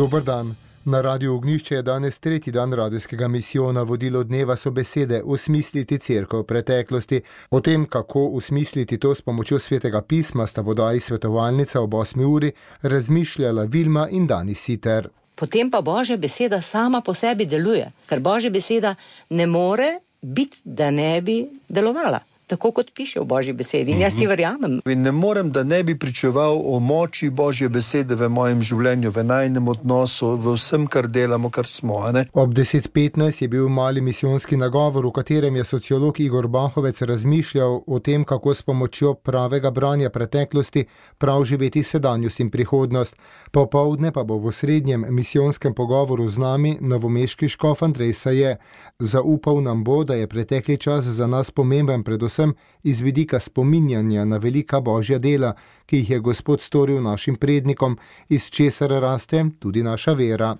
Dober dan. Na Radiu Ognjišče je danes tretji dan radijskega misijona. Vodilo dneva so besede Osmisliti cerkev v preteklosti. O tem, kako osmisliti to s pomočjo Svetega pisma, sta vodaji svetovalnica ob 8. uri razmišljala Vilma in Dani Siter. Potem pa Božja beseda sama po sebi deluje, ker Božja beseda ne more biti, da ne bi delovala. Tako kot piše v Božji besedi. In jaz ti verjamem. In ne morem, da ne bi pričeval o moči Božje besede v mojem življenju, v najnem odnosu, v vsem, kar delamo, kar smo. Ne? Ob 10:15 je bil mali misijonski nagovor, v katerem je sociolog Igor Bahovec razmišljal o tem, kako s pomočjo pravega branja preteklosti prav živeti sedanjost in prihodnost. Popoldne pa bo v osrednjem misijonskem pogovoru z nami novomeški škof Andrej Saje. Zaupal nam bo, da je pretekli čas za nas pomemben predvsem iz vidika spominjanja na velika Božja dela, ki jih je Gospod storil našim prednikom, iz česar raste tudi naša vera.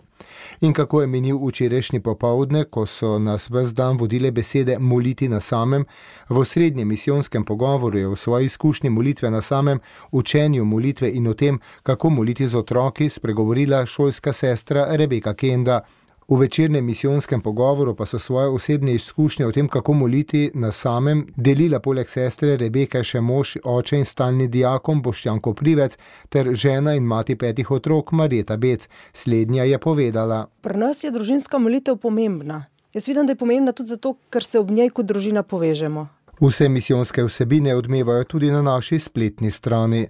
In kako je minil včerajšnji popoldne, ko so nas ves dan vodile besede moliti na samem, v osrednjem misijonskem pogovoru je v svoji izkušnji molitve na samem, učenju molitve in o tem, kako moliti z otroki, spregovorila šolska sestra Rebeka Kenda. V večernem misijonskem pogovoru pa so svoje osebne izkušnje o tem, kako moliti na samem, delila poleg sestre Rebeke še mož, oče in stalni diakon Boštjan Koprivec ter žena in mati 5 otrok Marjeta Bec. Slednja je povedala: Pri nas je družinska molitev pomembna. Jaz vidim, da je pomembna tudi zato, ker se ob njej kot družina povežemo. Vse misijonske vsebine odmevajo tudi na naši spletni strani.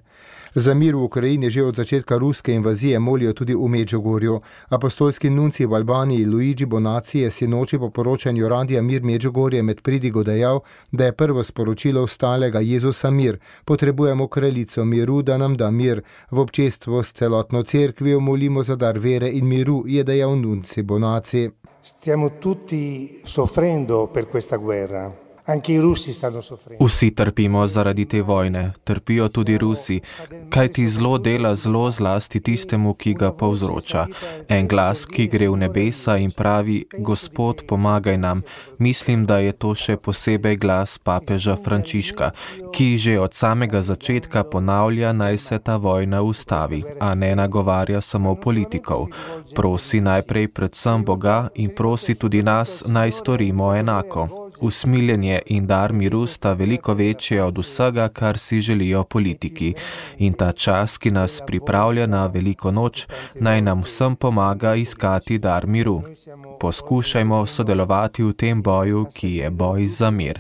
Za mir v Ukrajini že od začetka ruske invazije molijo tudi v Medžugorju. Apostolski nuncij v Albaniji Luigi Bonacci je sinoči po poročanju Radia Mir Medžugorje med pridigo dejal, da je prvo sporočilo vstalega Jezusa mir. Potrebujemo kraljico miru, da nam da mir. V občestvu s celotno cerkvijo molimo za dar vere in miru, je dejal nuncij Bonacci. Stiamo tutti soffrendo per questa guerra. Vsi trpimo zaradi te vojne, trpijo tudi Rusi, kajti zlo dela zlo zlasti tistemu, ki ga povzroča. En glas, ki gre v nebesa in pravi: Gospod, pomagaj nam. Mislim, da je to še posebej glas papeža Frančiška, ki že od samega začetka ponavlja, naj se ta vojna ustavi, a ne nagovarja samo politikov. Prosi najprej predvsem Boga in prosi tudi nas, naj storimo enako. Usmiljenje in dar miru sta veliko večje od vsega, kar si želijo politiki. In ta čas, ki nas pripravlja na veliko noč, naj nam vsem pomaga iskati dar miru. Poskušajmo sodelovati v tem boju, ki je boj za mir.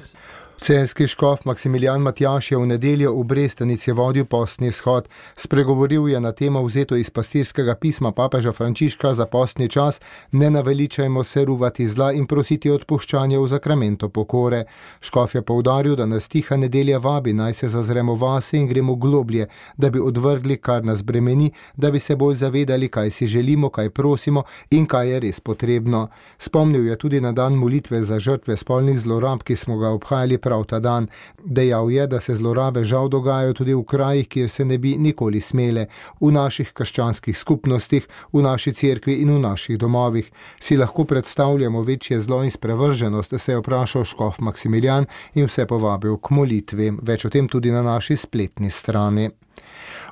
Celjski škof Maksimilijan Matjaž je v nedeljo v Brestanici vodil postni shod. Spregovoril je na temo vzeto iz pastirskega pisma papeža Frančiška za postni čas: Ne naveličajmo se ruvati zla in prositi odpuščanja v zakramento pokore. Škof je poudaril, da nas tiha nedelja vabi, naj se zazremo vase in gremo globlje, da bi odvrgli, kar nas bremeni, da bi se bolj zavedali, kaj si želimo, kaj prosimo in kaj je res potrebno. Spomnil je tudi na dan molitve za žrtve spolnih zlorab, ki smo ga obhajali prav ta dan. Dejal je, da se zlorabe žal dogajajo tudi v krajih, kjer se ne bi nikoli smele, v naših krščanskih skupnostih, v naši cerkvi in v naših domovih. Si lahko predstavljamo večje zlo in sprevrženost, se je vprašal škof Maksimilijan in vse povabil k molitvi. Več o tem tudi na naši spletni strani.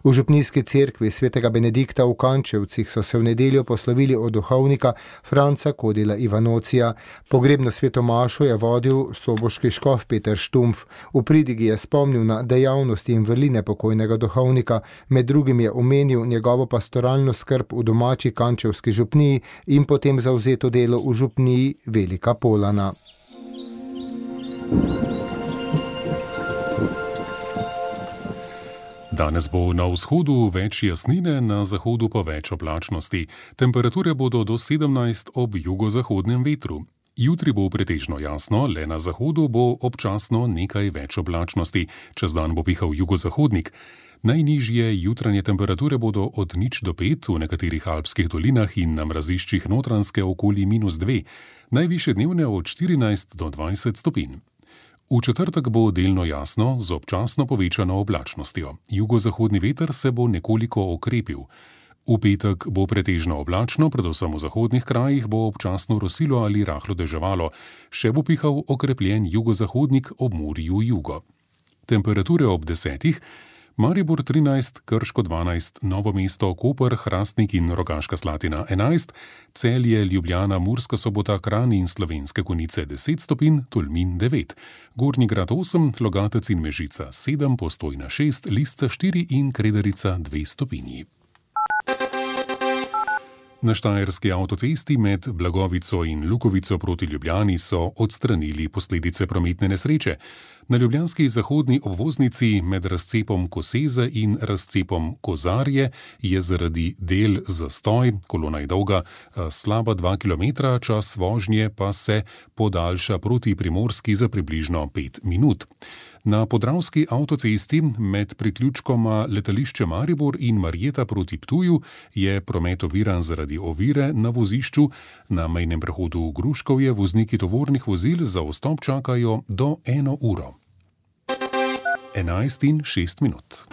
V župnijski cerkvi svetega Benedikta v Kančevcih so se v nedeljo poslovili od duhovnika Franca Kodila Ivanocija. Pogrebno svetomašo je vodil soboški škof Peter Štumpf. V pridigi je spomnil na dejavnosti in vrline pokojnega duhovnika, med drugim je omenil njegovo pastoralno skrb v domači kančevski župniji in potem zavzeto delo v župniji Velika Polana. Danes bo na vzhodu več jasnine, na zahodu pa več oblačnosti. Temperature bodo do 17 ob jugozahodnem vetru. Jutri bo pretežno jasno, le na zahodu bo občasno nekaj več oblačnosti. Čez dan bo pihal jugozahodnik. Najnižje jutranje temperature bodo od 0 do 5, v nekaterih alpskih dolinah in na mraziščih Notranjske okoli -2, najvišje dnevne od 14 do 20 stopinj. V četrtek bo delno jasno z občasno povečano oblačnostjo. Jugozahodni veter se bo nekoliko okrepil. V petek bo pretežno oblačno, predvsem v zahodnih krajih bo občasno rosilo ali rahlo deževalo, še bo pihal okrepljen jugozahodnik ob morju jugo. Temperature ob 10. Maribor 13, Krško 12, Novo mesto, Koper, Hrastnik in Rogaška Slatina 11, Celje, Ljubljana, Murska Sobota, Kranj in Slovenske Konjice 10 stopinj, Tolmin 9, Gornji Grad 8, Logatec in Mežica 7, Postojna 6, Lisca 4 in Kredarica 2 stopinji. Na štajerski avtocesti med Blagovico in Lukovico proti Ljubljani so odstranili posledice prometne nesreče. Na ljubljanski zahodni obvoznici med razcepom Koseze in razcepom Kozarje je zaradi del zastoj, kolona je dolga slaba 2 km, čas vožnje pa se podaljša proti Primorski za približno 5 minut. Na podravski avtocesti med priključkoma letališče Maribor in Marjeta proti Ptuju je promet oviran zaradi ovire na vozišču. Na mejnem prehodu Gruškovje vozniki tovornih vozil za vstop čakajo do 1 uro. 11:06.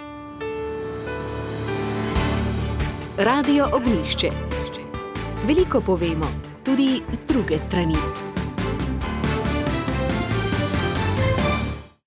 Radio Ognjišče. Veliko povemo, tudi z druge strani.